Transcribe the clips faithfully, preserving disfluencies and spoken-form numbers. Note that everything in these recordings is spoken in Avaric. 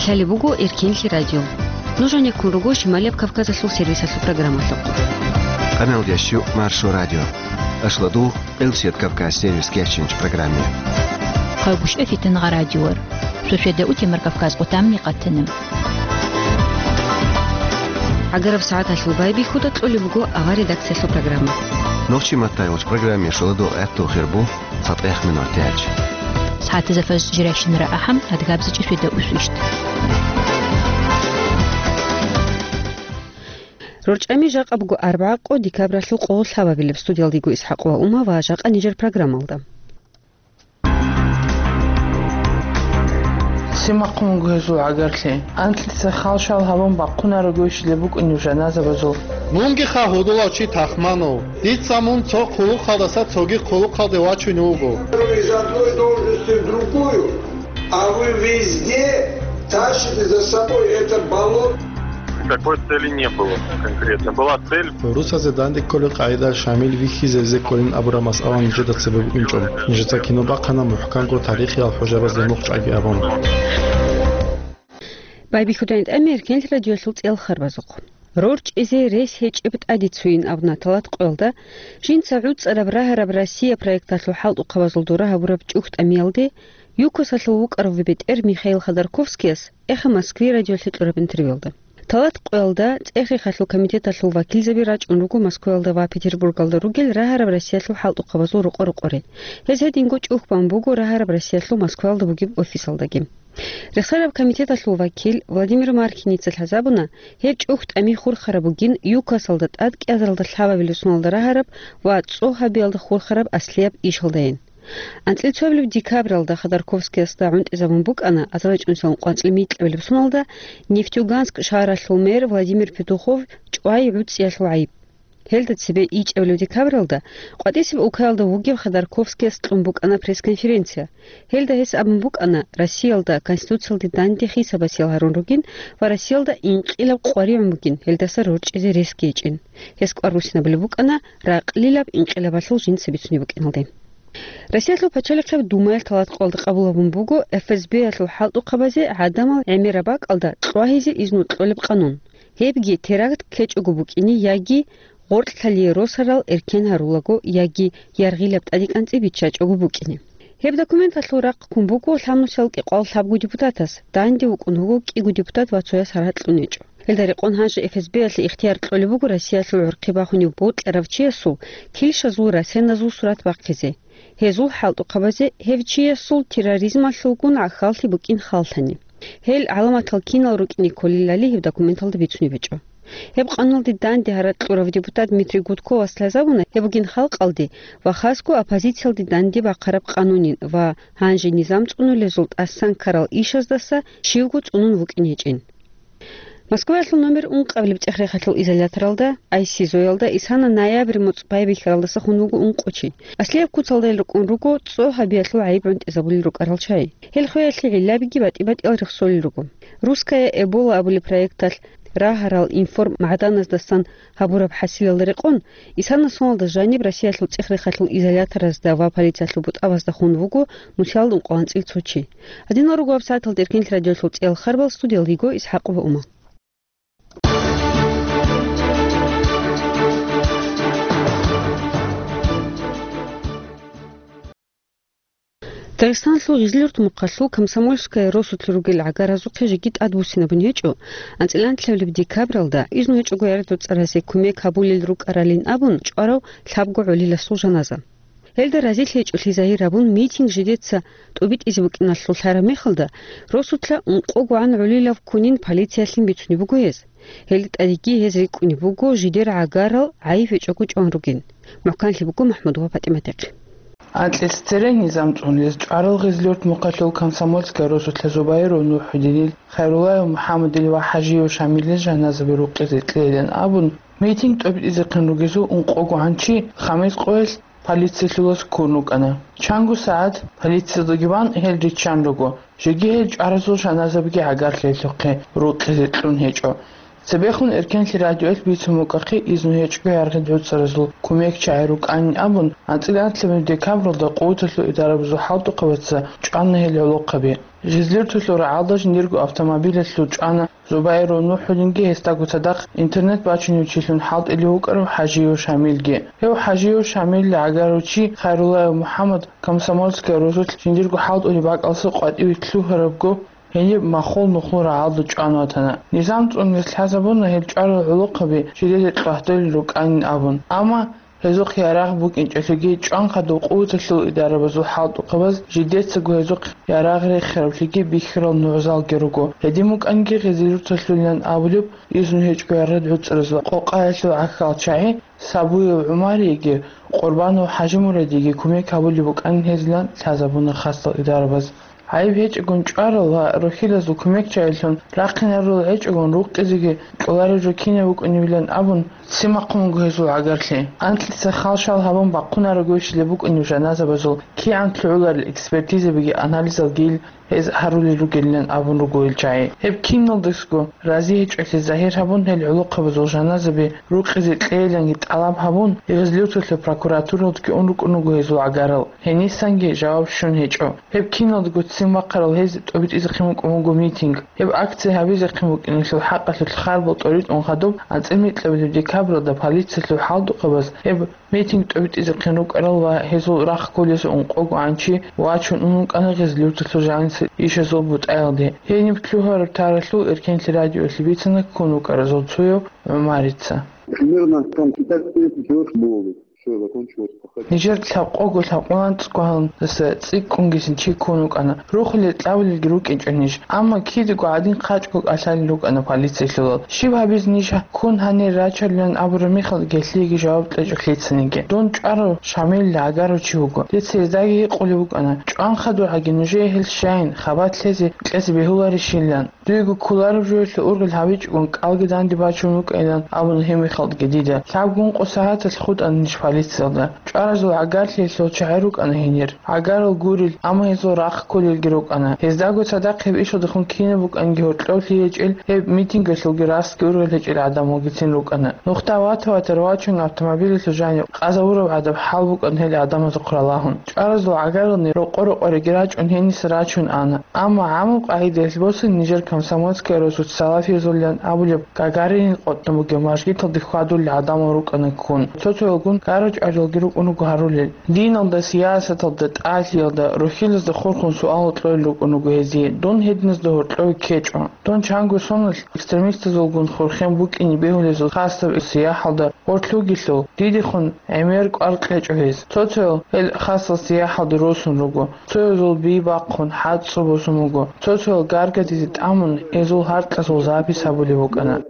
Гьале буго Эркенлъи радио. Нуж гьанеккун руго Шималияб Кавказалъул сервисалъул программалъухъ. Къамелдящу Маршо радио. Ашладу Элсет Кавказ сервис кечинч программе. Хъайгуш эфитан гъа радиор. Шошеда утемар Кавказ къутамни къатана. Агараб сагӀаталъул байбихьуда кьолеб буго авар редакциялъул программа. Нохчи маттайгъуч программе шоладу гӀатту хирбу. ЦатӀех минут яч. СагӀатазда фаз жирайщинара ахӀам, адгабзичӀи шведа усвищт. РорчӀами жакъа буго арбагӀа къо декабралъул къо лъабабилеб. Студиялдего ИсхӀакъ ва Ума ва жакъа нижер программалда. Симахъун гьезул гӀагарлъи. Анкьица халшал гьабун бахъунаро гойщилеб букӀунеб жаназабазул. Мунги хагьудулав чи тахманав, дица мун цо хъулухъалдаса цоги хъулухъалде вачун вуго. Из одной должности в другую, а вы везде тащите за собой это болото. Никакой цели не было конкретно. Была цель. Русазе данде кколел къагӀида Шамил вихьизе везе кколин абураб масъала нижеда цебе букӀинчӀо. Нижеца кино бахъана мухӀканго тарихиял хӀужабазде мухъ чӀаги абун. Байбихьудайн тӀамер кенлъ радиолъул цӀел харбазухъ. РорчӀизе рес гьечӀеб тӀаде цуин абуна Талат къоялда, жинца гӀуцӀараб рагьараб Россия проекталъул хӀалтӀухъабазул дора гьабураб чӀухӀ тӀамиялде, ЮКОСалъул вукӀарав бетӀер Михаил Ходорковскияс эхе Москве радиолъе кьураб интервьюялда. Талат къоялда цӀехихъалъул комитеталъул вакилзаби рачӀун руго Москваялда ва Петербургалда ругел рагьараб Россиялъул хӀалтӀухъабазул рокъо-рокъоре. Гьез гьединго чӀухӀ бан буго рагьараб Россиялъул Москваялда бугеб офисалдаги. Рехсараб комитеталъул вакил Владимир Маркиница лъазабуна, гьеб чӀухӀ тӀами хурхараб бугин ЮКОСалда тӀад кӀиазаралда лъабабилеб соналда рагьараб ва цӀо гьабиялда хурхараб аслияб ишалдайин. АнцӀил цоабилеб декабралда Ходорковскиясда гӀунтӀизабун букӀана азарачӀунсилан къванцӀил микьабилеб соналда Нефтеюганск шагьаралъул мэр Владимир Петухов чӀвай гӀуцӀиялъул гӀайиб. Гьелда цебе ичӀабилеб декабралда къватӀисеб улкаялда вугев Ходорковскияс кьун букӀана пресс-конференция. Гьелда гьес абун букӀана, Россиялда Конституциялде данде хисабасиял гьарун ругин ва Россиялда инкъилаб къваригӀун бугин, гьелдаса рорчӀизе рес гьечӀин. Гьес кӀвар руссинабулеб букӀана ракълилаб инкъилабалъул жинца бицунеб букӀиналде. Россиялъул пачалихъеб Думаялъ Талат къоялда къабул гьабун буго ФСБ-ялъул хӀалтӀухъабазе гӀадамал гӀемераб бакӀалда кьвагьизе изну кьолеб къанун. Гьебги теракт ккечӀого букӀине яги гъоркьлъалие росарал эркен гьарулаго яги яргъилаб тӀадекӀанцӀи биччачӀого букӀине. Гьеб документалъул рахъ ккун буго лъабнусиялда кӀикъоялда лъабго депутатас, данде вукӀун вуго кӀиго депутат ва цояс гьаракь кьун гьечӀо. Гьелда рекъон гьанже ФСБ-ялъе ихтияр кьолеб буго Россиялъул гӀурхъи бахунев бокьарав чиясул килщазул расеназул сурат бахъизе. Гьезул хӀалтӀухъабазе гьев чиясул терроризмалъулгун гӀахьаллъи букӀин халлъани. Гьел гӀаламатал кинал рукӀине кколелали гьеб документалда бицунеб гьечӀо. Гьеб къанулалде данде гьаракь кьурав депутат Дмитрий Гудковас лъазабуна гьеб бугин халкъалде ва хасго оппозициялде данде бахъараб къанунин ва гьанже низам цӀунулезул тӀасан ккарал ишаздаса щивго цӀунун вукӀин гьечӀин. Москваялъул номер ункъабилеб цӀех-рехалъул изоляторалда, ай си зоялда, исана ноябрь моцӀ байбихьаралдаса хун вуго ункъо чи. Аслияб куцалдайил рукӀун руго цӀо гьабиялъул гӀайиб гӀунтӀизабулел рукӀарал чагӀи. Гьел хвеялъе гӀиллабиги батӀи-батӀиял рехсолел руго. «Русская Эбола» абулеб проекталъ рагьарал информ-магӀданаздасан гьабураб хӀасилалда рекъон, исана соналда жаниб Россиялъул цӀех-рехалъул изоляторазда ва полициялъул бутӀабазда хун вуго нусиялда ункъоялда анцӀил цо чи. Гьадинал руго гьаб сагӀаталда Эркенлъи радиолъул цӀел харбал, студиялда йиго ИсхӀакъ ва Ума. Дагъистаналъул Гъизлюрт мухъалъул Комсомольская росулъ ругел гӀагаразухъе жеги тӀадбуссинабун гьечӀо, анцӀила анлъабилеб декабралда, изну гьечӀого яратуцӀаразе кумек гьабулел рукӀаралин абун чӀварав лъабго гӀолиласул жаназа. Гьелда разилъи гьечӀолъи загьир гьабун, митинг жидеца тӀубитӀизе букӀиналъул лъараб мехалда, росулъа ункъогогӀан гӀолилав ккунин полициялъин бицунеб буго гьез. Гьелда тӀадеги гьез рикӀкӀунеб буго жидер гӀагарал гӀайиб гьечӀого чӀван ругин. МухӀканлъи буго МахӀмудова ПатӀиматихъе. Анкьилъ цере низам цӀун гьез чӀварал Гъизлюрт мухъалъул Комсомольская росулъа Зубайров НухӀудинил, Хайруллаев МухӀаммадил ва ХӀажиев Шамилил жаназаби рукъизе кьейилан абун, митинг тӀобитӀизехъин ругезул ункъогогӀан чи хамис къоялъ полициялъулас ккун рукӀана. Чанго сагӀат полициялдаги бан гьел риччан руго, жеги гьел чӀваразул жаназабиги гӀагарлъи гьелъухъе рукъизе кьун гьечӀо. Цебехун Эркенлъи радиоялъ бицун букӀахъе изну гьечӀого яргъи гӀуцӀаразул кумекчагӀи рукӀанин абун, анцӀила анлъабилеб декабралда къуваталъул идарабазул хӀалтӀухъабаца чӀвана гьел гӀолохъаби. Гъизлиртулъул рагӀалда жиндирго автомобилалъул чӀвана Зубайров НухӀудинги гьесдаго цадахъ интернет бачунев чилъун хӀалтӀулев вукӀарав ХӀажиев Шамилги. Гьев ХӀажиев Шамилли гӀагарав чи Хайруллаев МухӀаммад Комсомольская росулъ жиндирго хӀалтӀулеб бакӀалдаса къватӀиве лъугьарабго, гьениб махул нухлу рагӀалда чӀван ватана. Низам цӀунулъ лъазабуна гьел чӀварал гӀолохъаби жидеда кьвагьдулел рукӀанин абун. Амма гьезухъ ярагъ букӀинчӀелъулги, чӀван хадуб къуваталъул идарабазул хӀалтӀухъабаз жидецаго гьезухъ ярагъ рехиравлъиги бихьарал нугӀзалги руго. Гьедин букӀанги, Гъизлиртулъулилан абулеб изну гьечӀого яргъи гӀуцӀаразул къокъаялъул гӀахьалчагӀи Сабуев ГӀумариеги Къурбанов ХӀажимурадиеги кумек гьабулеб букӀанин гьезилан лъазабуна хасал идарабаз. ГӀайиб гьечӀогун чӀварал ва рухьилазул кумекчагӀилъун рахъинарулел гьечӀогун рукъизеги кьоларел жо кинаб букӀунебилан абун, ццин бахъун буго гьезул гӀагарлъи. Анкьица хал-шал гьабун бахъунарого щиб букӀунеб жаназабазул кигӀан лъугӀуларел экспертизабиги анализалги гьез гьарулел ругелилан абун руго ил чагӀи. Гьеб киналдасго рази гьечӀолъи загьир гьабун, гьел гӀолохъабазул жаназаби рукъизе кьейиланги тӀалаб гьабун, Гъизлиртулъа прокуратуралдги ун рукӀун руго гьезул гӀагарал. Гьенисанги жаваб щун гьечӀо. Гьеб киналдаго ццин бахъарал гьез тӀобитӀизехъин букӀун буго митинг. Гьеб акция гьабизехъин букӀинелъул хӀакъалъулъ харбал тӀоритӀун хадуб, анцӀила микьабилеб декабралда полициялъул хӀалтӀухъабаз гьеб митинг тӀобитӀизехъин рукӀарал ва гьезул рахъ кколесун ункъого гӀанчи вачун ун вукӀана Гъизлиртулъул жанисел ишазул бутӀаялде. Гьениб лъугьараб таралъул Эркенлъи радиоялъе бицана ккун вукӀаразул цояв ГӀумарица. Примерно там пятнадцать-тридцать человек было. Всё, закончилось пахать. Нижер лъабкъого лъабкъоялда цӀикӀкӀунгисин чи ккун вукӀана. Рухулел-кьабулелги рукӀинчӀо ниж. Амма кидаго гӀадин хъачӀго кӀалъалел рукӀана полициялъулал. Щиб гьабизе ниж ккун гьанир рачарилан абураб мехалъ гьелъиеги жаваб кьечӀо лъицаниги. Дун чӀварав Шамилли гӀагарав чи вуго. Дица гьездаги гьикъулеб букӀана: «ЧӀван хадуб гьаги нужее гьел щайин, хабалъ лъезе кьезе бегьуларищилан?» Дуего кколареб жоялъул ургъел гьабичӀогун кӀалги данде бачун вукӀайилан абуна гьеб мехалдги дида. Лъабго-ункъо сагӀаталъ хутӀана ниж полициялда. ЧӀваразул гӀагарлъиялъул чагӀи рукӀана гьенир. ГӀагарал гурел, амма гьезул рахъ кколелги рукӀана. Гьездаго цадахъ гьеб ишалдехун кинаб букӀанги гьоркьов лъие гьечӀел гьеб митингалъулги рахъги ургъел гьечӀел гӀадамалгицин рукӀана. Нухда вата-ватарав вачун автомобилалъул жанив къазавураб гӀадаб хӀал букӀана гьел гӀадамазухъ ралагьун. ЧӀваразул гӀагарални рокъо-рокъориги рачӀун гьениса рачун ана. Амма гӀамаб къагӀидаялъ босани нижер Комсомольская росулъ салафиязулилан абулеб Гагаринил къотӀнаб бугеб мажгиталде хьвадулел гӀадамал рукӀана ккун. Цо-цоялгун гара-чӀвариялги рукӀун руго гьарулел. Диналда, сиясаталда, тӀалъиялда, рухьилазда хурхун суалал кьолел рукӀун руго гьезие: «Дун гьединазда гьоркьове ккечӀо. Дун чанго соналъ экстремистазулгун хурхен букӀине бегьулезул хасаб сияхӀалда гъорлъ вугелъул, дидехун гӀемер кӀвар кьечӀо гьез». Цо-цоял гьел хасал сияхӀалде росун руго. Цоязул би бахъун, хӀацӀцӀу босун буго. Цо-цоял гаргадизе тӀамун, гьезул гьаркьазул запись гьабулеб букӀана.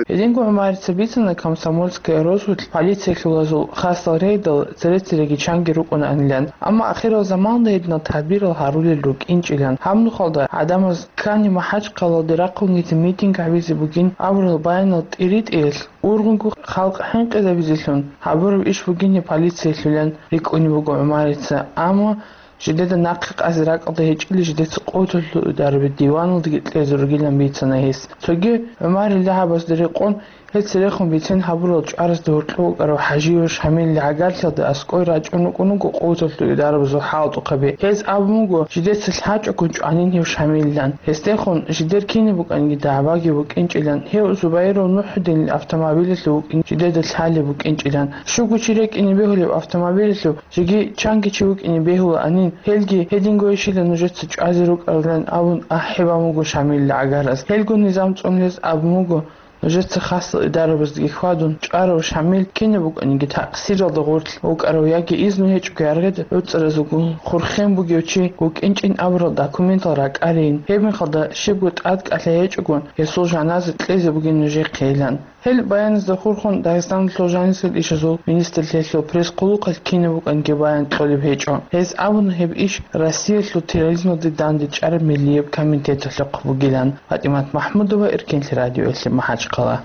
Гьединго ГӀумарица бицана Комсомольская росулъ полициялъулазул хасал рейдал цере-цереги чанги рукӀунаанилан, амма ахирал заманалда гьединал тадбирал гьарулел рукӀинчӀилан. Гьаб нухалда гӀадамаз ккани МахӀачхъалалде рахъунгицин митинг гьабизе бугин абурал баянал тӀиритӀиялъ, ургъунго халкъ хӀинкъизабизелъун гьабураб иш бугин гьеб полициялъулан рикӀкӀунеб буго ГӀумарица, амма жидеда нахъе къазе ракӀалда гьечӀели, жидеца къотӀулъул дарби диваналдаги кьезе ругилан бицана гьес. Цоги ГӀумарил дагьабазда рекъон, гьел церехун бицен гьабурал чӀваразда гьоркьов вукӀарав ХӀажиев Шамилли гӀагарлъиялда аскӀой рачӀун рукӀун руго къотӀулъул дарбазул хӀалтӀухъаби. Гьез абун буго, жидеца лъачӀого чӀванин гьев Шамиллан. Гьесдехун жидер кинаб букӀанги дагӀбаги букӀинчӀилан, гьев Зубайров НухӀудинил автомобилялъув вукӀин жидеда лъалеб букӀинчӀилан. Щуго чи рекӀине бегьулеб автомобилялъув жеги чанги чи вукӀине бегьулаанин, гьелги гьединго ишила нужеца чӀвазе рукӀарилан абун ахӀи бан буго Шамилли гӀагарас. Гьелго низам цӀунулез абун буго, нужеца хасал идарабаздаги хьвадун, чӀварав Шамил кинаб букӀаниги такъсиралда гъорлъ вукӀарав яги изну гьечӀого яргъида гӀуцӀаразулгун хурхен бугев чи вукӀинчӀин абурал документал ракӀарейин, гьеб мехалда щибго тӀадкӀалъи гьечӀогун гьесул жаназа кьезе бугин нужехъейилан. Гьел баяназда хурхун Дагъистаналъул жанисел ишазул министрлъиялъул пресс-хъулухъалъ кинаб букӀанги баян кьолеб гьечӀо. Гьез абуна гьеб иш Россиялъул терроризмалде дандечӀараб миллияб комитеталъухъ бугилан. ПатӀимат МахӀмудова, Эркенлъи радиоялъе, МахӀачхъала.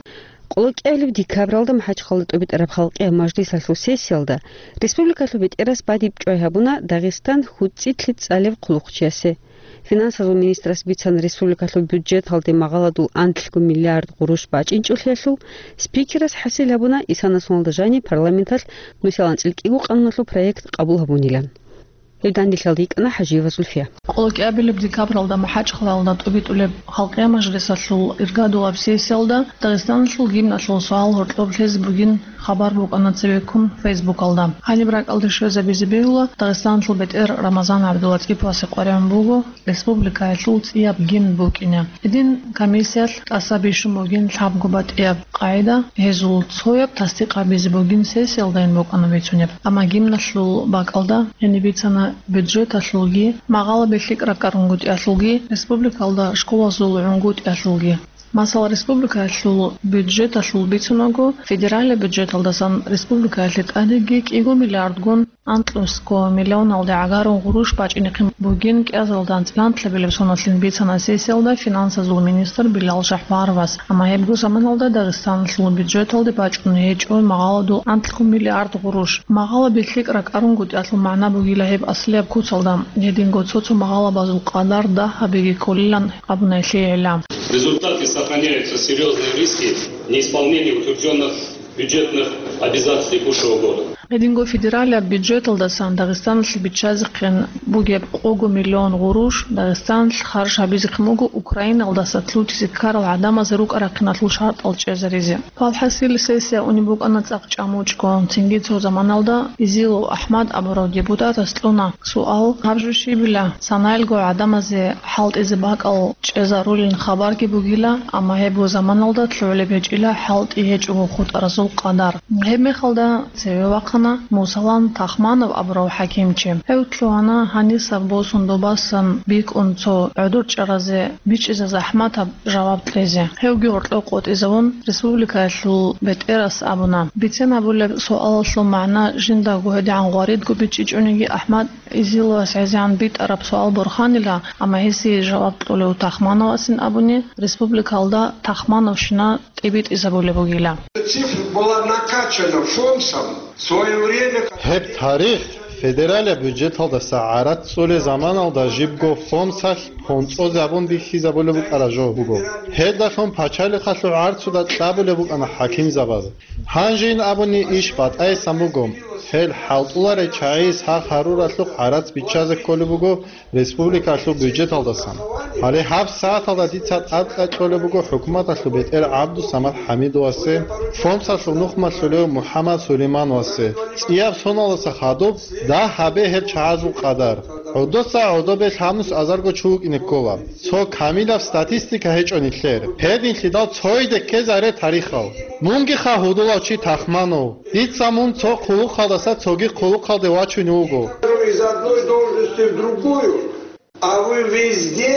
КӀиабилеб декабралда МахӀачхъала тӀубитӀараб халкъиял мажлисалъул сессиялда республикалъул бетӀерас бадиб чӀвай гьабуна Дагъистан хьуцӀилъи цӀалев хъулухъчиясе. Финансазул министрас бицана республикалъул бюджеталде магъаладул анлъго миллиард гъурущ бачӀинчӀолъиялъул. Спикерас хӀасил гьабуна исана соналда жаниб парламенталъ нусил анцӀил кӀиго къануналъул проект къабул гьабунилан. Гьел данделъиялда йикӀана ХӀажиева Зульфия. Къоло кӀиабилеб декабралда МахӀачхъалаялда тӀубитӀулеб Халкъиял мажлисалъул иргадулаб сессиялда Дагъистаналъул гимналъул суал гьоркьоб лъезе бугин хабар букӀана цебеккун Фейсбукалда. Гьаниб ракӀалде щвезабизе бегьула, Дагъистаналъул бетӀер Рамазан ГӀабдулатӀиповасе къваригӀун буго республикаялъул цӀияб гимн букӀине. Гьедин комиссиялъ тӀаса бищун бугин лъабго батӀияб къагӀида, гьезул цояб тасдикъ гьабизе бугин сессиялдайин букӀана бицунеб. Амма гимналъул бакӀалда гьениб бицана бюджеталъулги, магъалаби лъикӀ ракӀарун гутӀиялъулги, республикалда школазул гӀунгутӀиялъулги. Масала, республикаялъул бюджеталъул бицунаго, федералияб бюджеталдасан республикаялъе тӀадеги кӀиго миллиардгун анкьнусго миллионалде гӀагарун гъурущ бачӀинехъин бугин кӀиазалда анцӀила анлъабилеб соналъин бицана сессиялда финансазул министр Билал Жапаровас. Амма гьебго заманалда Дагъистаналъул бюджеталде бачӀун гьечӀо магъаладул анлъго миллиард гъурущ. Магъалаби лъикӀ ракӀарун гутӀиялъул магӀна бугила гьеб аслияб куцалда, гьединго цо-цо магъалабазул къадар дагь гьабиги кколилан абуна гьелъие гӀилла. В результате сохраняются серьёзные риски неисполнения утверждённых бюджетных обязательств текущего года. Гьединго федералияб бюджеталдасан Дагъистаналъе биччазехъин бугеб кього миллион гъурущ Дагъистаналъ харж гьабизехъин буго Украиналдаса лъутизе ккарал гӀадамазе рукӀа-рахъиналъул шартӀал чӀезаризе. Валхъасил, сессия унеб букӀана цӀакъ чӀамучӀго, цинги цо заманалда Изилов АхӀмад абурав депутатас кьуна суал: гьаб жо щибила, санаялго гӀадамазе хӀалтӀизе бакӀал чӀезарулин хабарги бугила, амма гьебго заманалда лъугӀулеб гьечӀила хӀалтӀи гьечӀого хутӀаразул къадар. Гьеб мехалда цеве вахъана Мусалан Тахманов абурав хӀакимчи. Гьев лъугьана гьанисаб босун добасан бикӀун цо гӀодор чӀаразе бичӀчӀизе захӀматаб жаваб кьезе. Гьевги гьоркьоб къотӀизавун, республикаялъул бетӀерас абуна: бицен гьабулеб суалалъул магӀна жиндаго гьедигӀан гъваридго бичӀчӀичӀониги, АхӀмад Изиловас гӀезегӀан битӀараб суал борханила, амма гьесие жаваб кьолев Тахмановасин абуни, республикалда Тахмановщина тӀибитӀизабулеб бугила. Цифра была накачана ФОМСом в своё время. Гьеб тарих федералияб бюджеталдаса гӀарац цӀолей заманалда жибго ФОМСалъ хӀонцӀозабун бихьизабулеб букӀараб жо буго. Гьелдалъун пачалихъалъул гӀарцуда кьабулеб букӀана хӀакимзабаз. Гьанжейин абуни иш батӀайсан буго. Гьел хӀалтӀуларел чагӀи сах гьаруралъухъ гӀарац биччазе кколеб буго республикалъул бюджеталдасан. Гьале гьаб сагӀаталда дица тӀадкьа кьолеб буго хӀукуматалъул бетӀер ГӀабдусамад ХӀамидовасе, ФОМСалъул нухмалъулев МухӀаммад Сулеймановасе, цӀияб соналдаса хадуб дагь гьабе гьел чагӀазул къадар. ГӀодоса гӀодобе лъабнус азарго чи вукӀине ккола. Цо камилаб статистика гьечӀо нилъер. Гьединлъидал цойде ккезаре тарихал. Мунгиха гьудулав чи Тахманов. Дица мун цо хъулухъалдаса цоги хъулухъалде вачунев вуго. Из одной должности в другую, а вы везде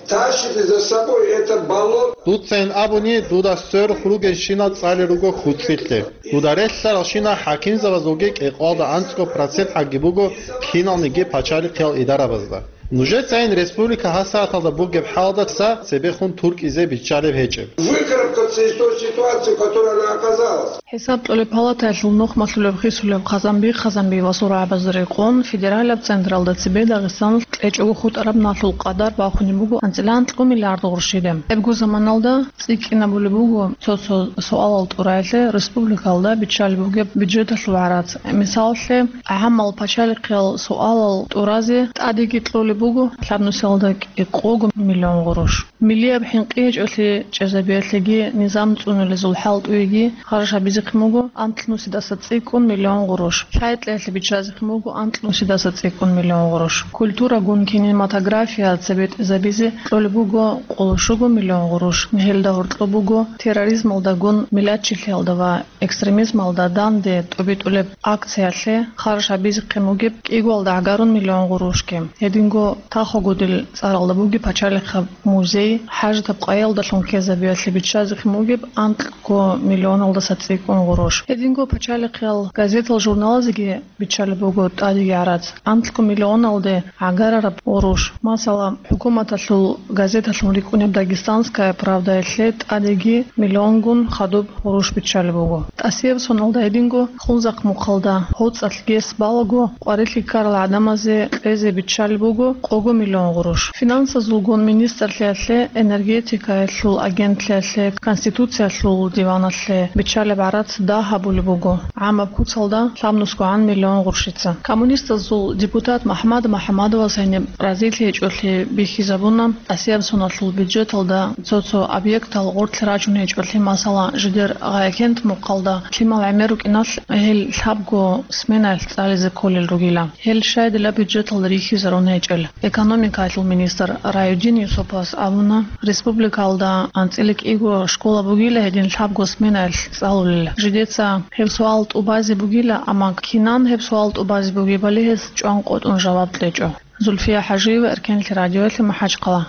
тащите за собой это болото. Дуцайин абуни, дуда сверухъ ругелщинал цӀалел руго хӀуцӀилъе. Дуда релълъаралщинал хӀакимзабазулги кӀикъоялда анцӀго процент гӀаги буго киналниги пачалихъиял идарабазда. Нужецайин республика гьасагӀаталда бугеб хӀалдаса цебехун туркӀизе биччалеб гьечӀеб. Выкарабкаться из той ситуации, в которой она оказалась. ХӀисаб кьолеб палатаялъул нухмалъулеб хисулеб Хъазанби, Хъазанби ва сургӀабазда рекъон федералияб централда цебе Дагъистаналъ кьечӀого хутӀараб налъул къадар бахунеб буго анцӀила анлъго миллиард гъурщиде. Гьебго заманалда цӀикӀкӀинабулеб буго цо-цо суалал тӀураялъе республикалда биччалеб бугеб бюджеталъул гӀарац. Мисалалъе, гӀамал пачалихъиял суалал тӀуразе тӀадеги кьолеб буго лъабнусиялда кӀикъого миллион гъурущ. Миллияб хӀинкъи гьечӀолъи чӀезабиялъеги низам цӀунулезул хӀалтӀуеги харж гьабизехъин буго анлънусидаса цӀикӀкӀун миллион гъурущ. Лъайкьиялъе биччазехъин буго анлънусидаса цӀикӀкӀун миллион гъурущ. Культурагун кинематография цебетӀезабизе кьолеб буго къоло щуго миллион гъурущ. Гьелда гьоркьоб буго терроризмалдагун миллатчилъиялда ва экстремизмалда данде тӀубитӀулеб акциялъе харж гьабизехъин бугеб кӀигоялда гӀагарун миллион гъурущги. Гьединго тахогудил цӀаралда бугеб пачалихъаб музей, хӀажатаб къайиялдалъун ккезабиялъе биччазехъин бугеб анкьго миллионалдаса цӀикӀкӀун гъурущ. Гьединго пачалихъиял газетал-журналазеги биччалеб буго тӀадеги гӀарац. Анкьго миллионалде гӀагарар гъурущ. Масала, хӀукуматалъул газеталъун рикӀкӀунеб «Дагестанская правдаялъе» тӀадеги миллионгун хадуб гъурущ биччалеб буго. ТӀасияб соналда гьединго Хунзахъ мухъалда гьоцӀалъ гес балаго къварилъи ккарал гӀадамазе кьезе биччалеб буго къого миллион гъурущ. Финансазулгун министрлъиялъе, энергетикаялъул агентлъиялъе, Конституциялъул диваналъе биччалеб гӀарац дагь гьабулеб буго гӀамаб куцалда лъабнусгогӀан миллион гъурщица. Коммунистазул депутат МахӀмад МахӀмадовас гьениб разилъи гьечӀолъи бихьизабуна, тӀасияб соналъул бюджеталда цо-цо объектал гъорлъ рачун гьечӀолъи, масала, жидер Гъаякент мухъалда лъимал гӀемер рукӀиналъ гьел лъабго сменаялъ цӀализе кколел ругила. Гьел щайдила бюджеталда рихьизарун гьечӀел. Экономикаялъул министр Райудин Юсуповас абуна, республикалда анцӀила кӀиго школа бугила гьедин лъабго сменаялъ цӀалулел. Жидеца гьеб суал тӀубазе бугила, амма кинан гьеб суал тӀубазе бугебали гьес чӀван къотӀун жаваб кьечӀо. Зульфия ХӀажиева, Эркенлъи радиоялъе, МахӀачхъала.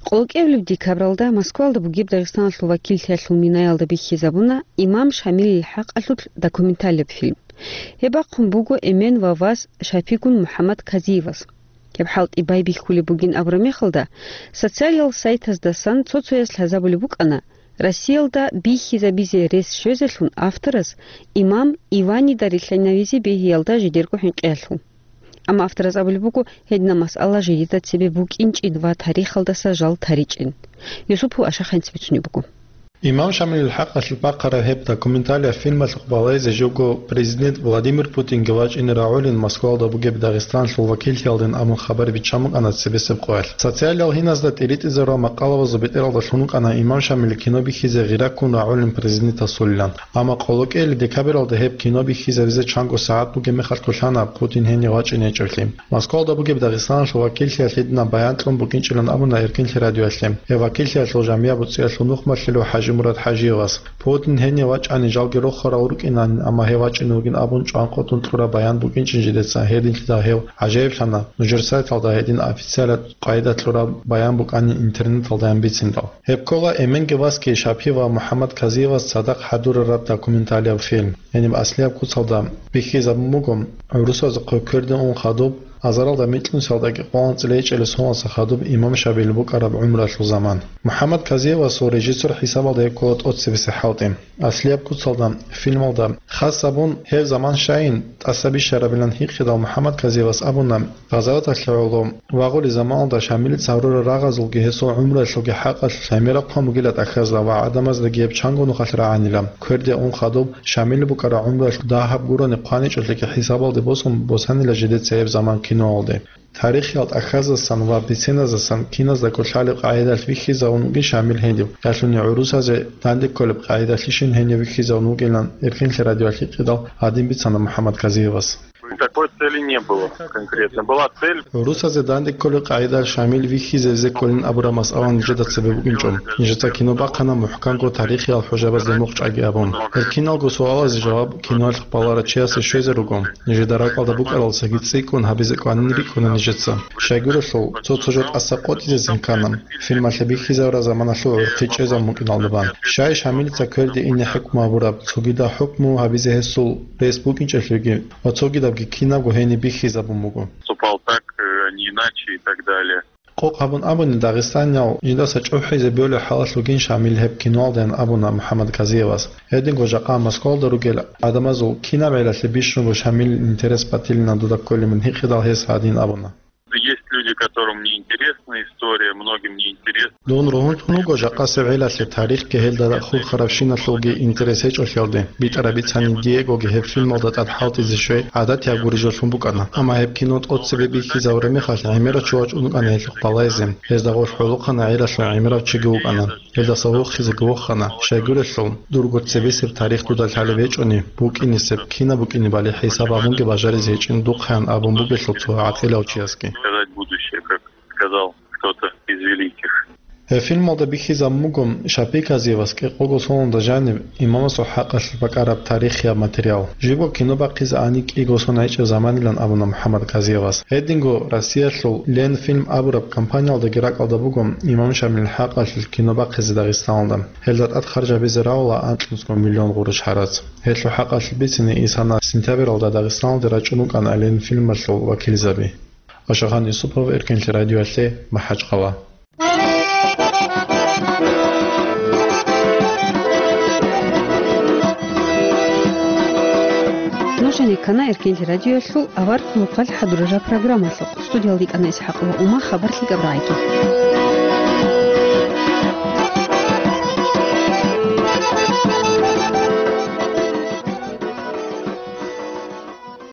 Къоло кӀиабилеб декабралда Москвалда бугеб Дагъистаналъул вакиллъиялъул минаялда бихьизабуна Имам Шамилил хӀакъалъулъ документалияб фильм. Гьеб бахъун буго эмен ва вас Шапигун МухӀаммад Казиевас. Гьеб хӀалтӀи байбихьулеб бугин абураб мехалда, социалиял сайтаздасан цо-цояс лъазабулеб букӀана, Россиялда бихьизабизе рес щвезелъун авторас имам Иванида рилълъинавизе бегьиялда жидерго хӀинкъиялъул. Амма авторас абулеб буго, гьединаб масъала жидеда цебе букӀинчӀин ва тарихалдаса жал таричӀин. Юсупов Ашаханец бицунеб буго. Имам Шамилил хӀакъалъулъ бахъараб гьеб документалияб фильмалъухъ балагьизе живго президент Владимир Путинги вачӀине рагӀулин Москвалда бугеб Дагъистаналъул вакиллъиялдин абун хабар биччан букӀана цебесеб къоялъ. Социалиял гьиназда тӀиритӀизарурал макъалабазул бетӀералда лъун вукӀана Имам Шамилил кино бихьизе гъира ккун рагӀулин президентасулилан. Амма къоло кӀиабилеб декабралда гьеб кино бихьизабизе чанго сагӀат бугеб мехалъ кколъана Путин гьенив вачӀине гьечӀолъи. Москвалда бугеб Дагъистаналъул вакиллъиялъ гьединаб баян кьун букӀинчӀилан абуна Эркенлъи радиоялъе. Гьеб вакиллъиялъул жамияб буцӀиялъул нухмалъулев ХӀажимурад ХӀажиевас. Путин гьенив вачӀани жалги рохарал рукӀинанин, амма гьев вачӀине вугин абун чӀван къотӀун кьураб баян букӀинчӀин жидеца, гьединлъидал гьев гӀажаиблъана, нужер сайталда гьедин официалаб къайда кьураб баян букӀанин интернеталдаян бициндал. Гьеб ккола эменги васги Шапи ва МухӀаммад Казиевас цадахъ хӀадурараб документалияб фильм. Гьениб аслияб куцалда бихьизабун буго, гӀурусазухъе кверде ун хадуб, азаралда микьнусиялдаги къо анцӀила гьечӀелеб соналдаса хадуб имам Шамилил букӀараб гӀумруялъул заман. МухӀаммад Казиевасул режиссер хӀисабалда гьеб ккола тӀоцебесеб хӀалтӀи. Аслияб куцалда фильмалда хас гьабун, гьеб заман щайин тӀаса бищарабилан гьикъидал МухӀаммад Казиевас абуна, гъазаваталъе гӀоло вагъулеб заманалда Шамилица гьарурал рагъазулги гьесул гӀумруялъулги хӀакъалъулъ гӀемераб хъван бугила тӀахьазда ва гӀадамаздаги гьеб чанго нухалъ рагӀанила. Кверде ун хадуб, Шамилил букӀараб гӀумруялъ дагьаб гурони хъваничӀолъиги хӀисабалде босун босанила жидеца гьеб заман киноялде. Тарихиял тӀахьаздасан ва биценаздасан киназдаго лъалеб къагӀидалъ вихьизавун вугин Шамил гьенив, ялъуни гӀурусазе данде кколеб къагӀидалъишин гьенив вихьизавун вугилан Эркенлъи радиоялъ гьикъидал гьадин бицана МухӀаммад Казиевас. Такой цели не было конкретно. Была цель. ГӀурусазе данде кколеб къагӀидалъ Шамил вихьизавизе кколин абураб масъала нижеда цебе букӀинчӀо. Нижеца кино бахъана мухӀканго тарихиял хӀужабазде мухъ чӀаги абун. Гьел киналго суалазе жаваб киноялъухъ баларав чиясе щвезе руго. Нижеда ракӀалда букӀаралдасаги цӀикӀкӀун гьабизе кӀванин рикӀкӀуна нижеца. Щайгурелъул, цо-цо жо тӀаса къотӀизезин ккана, фильмалъе бихьизарураб заманалъул гӀурхъи чӀезабун букӀиналда бан. Щай Шамилица кверде ине хӀукму гьабураб, цогидаб хӀукму гьабизе гьесул рес букӀинчӀелъулги ва цогидабги кинабго гьениб бихьизабун буго. Поступал так, э, а не иначе и так далее. Къокъ гьабун абуни, дагъистаниял жидаса чӀухӀизе бегьулеб хӀалалъ вугин Шамил гьеб киноялдаян абуна МухӀаммад Казиевас. Гьединго жакъа Москвалда ругел гӀадамазул кинаб гӀелалъе бищунго Шамилил интерес батилина дуда кколебин гьикъидал гьес гьадин абуна. Есть люди, которым не интересна история, многим не интересна. Дун ругьунтун вуго жакъасеб гӀелалъе тарихги гьелда хурхарабщиналъулги интерес гьечӀолъиялде. БитӀараб бицани, Диегоги гьеб фильмалда тӀад хӀалтӀизе щвей гӀадатияб гурищ жолъун букӀана. Амма гьеб кино тӀоцебе бихьизабураб мехалъ гӀемерав чи вачӀун вукӀана гьелъухъ балагьизе. Гьезда гъорлъ гӀолохъана гӀелалъул гӀемерав чиги вукӀана. Гьелдаса вохизеги вохана. Щайгурелъул, дурго цебесеб тарих дуда лъалеб гьечӀони, букӀинесеб, кинаб букӀинебали хӀисаб гьабунги бажаризе гьечӀин духъаян абун бугелъул цо гӀакъилав чиясги. Сказать будущее, как сказал кто-то из великих. Гьеб фильмалда бихьизабун буго Шапи Казиевас кӀикъого соналда жаниб имамасул хӀакъалъулъ бакӀараб тарихияб материал. Живго кино бахъизе ани кӀиго сон гьечӀеб заманилан абуна МухӀаммад Казиевас. Гьединго Россиялъул Ленфильм абураб компаниялдаги ракӀалда буго имам Шамилил хӀакъалъулъ кино бахъизе Дагъистаналда. Гьелда тӀад харж гьабизе равула анкьнусго миллион гъурущ гьарац. Гьелъул хӀакъалъулъ бицине исана сентябралда Дагъистаналде рачӀун вукӀана Ленфильмалъул вакилзаби. Ошагьан Юсупов, Эркенлъи радиоялъе, МахӀачхъала. Нуж гьанир ккана Эркенлъи радиоялъул авар хъулухъалъ хӀадурараб программалъухъ. Студиялда йикӀана ИсхӀакъ ва Ума хабар лъикӀаб рагӀиги.